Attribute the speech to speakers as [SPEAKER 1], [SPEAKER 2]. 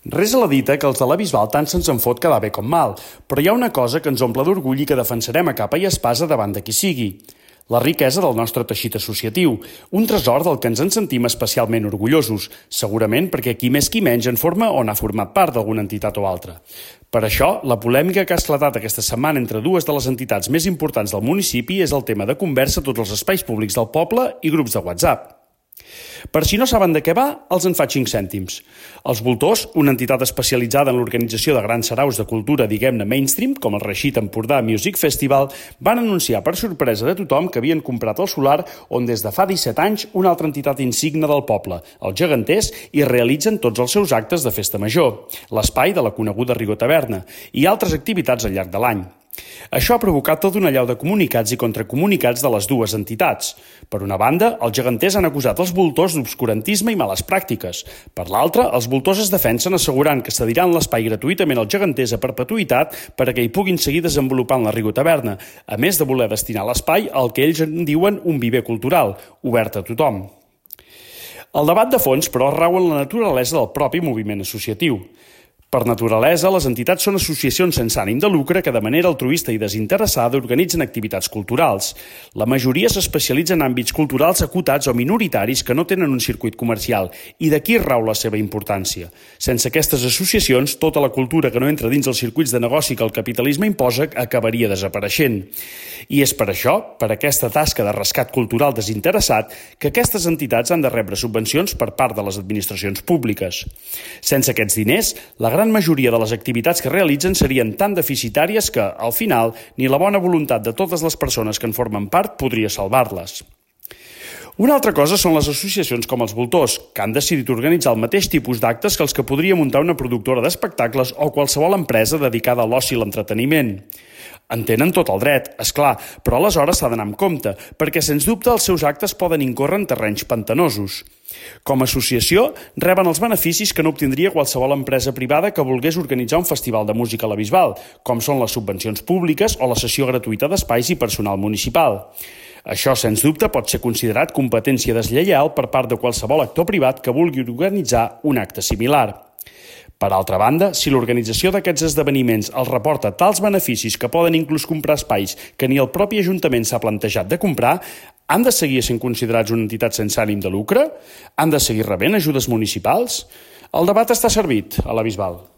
[SPEAKER 1] Res a la dita que els de la Bisbal tant se'ns en fot quedar bé com mal, però hi ha una cosa que ens omple d'orgull i que defensarem a capa i espasa davant de qui sigui. La riquesa del nostre teixit associatiu, un tresor del que ens en sentim especialment orgullosos, segurament perquè qui més qui menys en forma o n'ha format part d'alguna entitat o altra. Per això, la polèmica que ha esclatat aquesta setmana entre dues de les entitats més importants del municipi és el tema de conversa a tots els espais públics del poble i grups de WhatsApp. Per si no saben de què va, els en faig 5 cèntims. Els Voltors, una entitat especialitzada en l'organització de grans saraus de cultura, diguem-ne mainstream, com el Reixit Empordà Music Festival, van anunciar per sorpresa de tothom que havien comprat el solar on des de fa 17 anys una altra entitat insigne del poble, els Geganters, hi realitzen tots els seus actes de festa major, l'espai de la coneguda Rigor Taverna, i altres activitats al llarg de l'any. Això ha provocat tota una allau de comunicats i contracomunicats de les dues entitats. Per una banda, els geganters han acusat els voltors d'obscurantisme i males pràctiques. Per l'altra, els voltors es defensen assegurant que cediran l'espai gratuïtament als geganters a perpetuïtat perquè hi puguin seguir desenvolupant la Rigor Taverna, a més de voler destinar l'espai al que ells en diuen un viver cultural, obert a tothom. El debat de fons, però, rau en la naturalesa del propi moviment associatiu. Per naturalesa, les entitats són associacions sense ànim de lucre que de manera altruista i desinteressada organitzen activitats culturals. La majoria s'especialitza en àmbits culturals acotats o minoritaris que no tenen un circuit comercial, i d'aquí rau la seva importància. Sense aquestes associacions, tota la cultura que no entra dins els circuits de negoci que el capitalisme imposa acabaria desapareixent. I és per això, per aquesta tasca de rescat cultural desinteressat, que aquestes entitats han de rebre subvencions per part de les administracions públiques. Sense aquests diners, la gran majoria de les activitats que realitzen serien tan deficitàries que, al final, ni la bona voluntat de totes les persones que en formen part podria salvar-les. Una altra cosa són les associacions com els Voltors, que han decidit organitzar el mateix tipus d'actes que els que podria muntar una productora d'espectacles o qualsevol empresa dedicada a l'oci i l'entreteniment. En tenen tot el dret, és clar, però aleshores s'ha d'anar amb compte, perquè sens dubte els seus actes poden incórrer en terrenys pantanosos. Com a associació, reben els beneficis que no obtindria qualsevol empresa privada que volgués organitzar un festival de música a la Bisbal, com són les subvencions públiques o la cessió gratuïta d'espais i personal municipal. Això, sens dubte, pot ser considerat competència deslleial per part de qualsevol actor privat que vulgui organitzar un acte similar. Per altra banda, si l'organització d'aquests esdeveniments els reporta tals beneficis que poden inclús comprar espais que ni el propi Ajuntament s'ha plantejat de comprar, han de seguir sent considerats una entitat sense ànim de lucre? Han de seguir rebent ajudes municipals? El debat està servit a la Bisbal.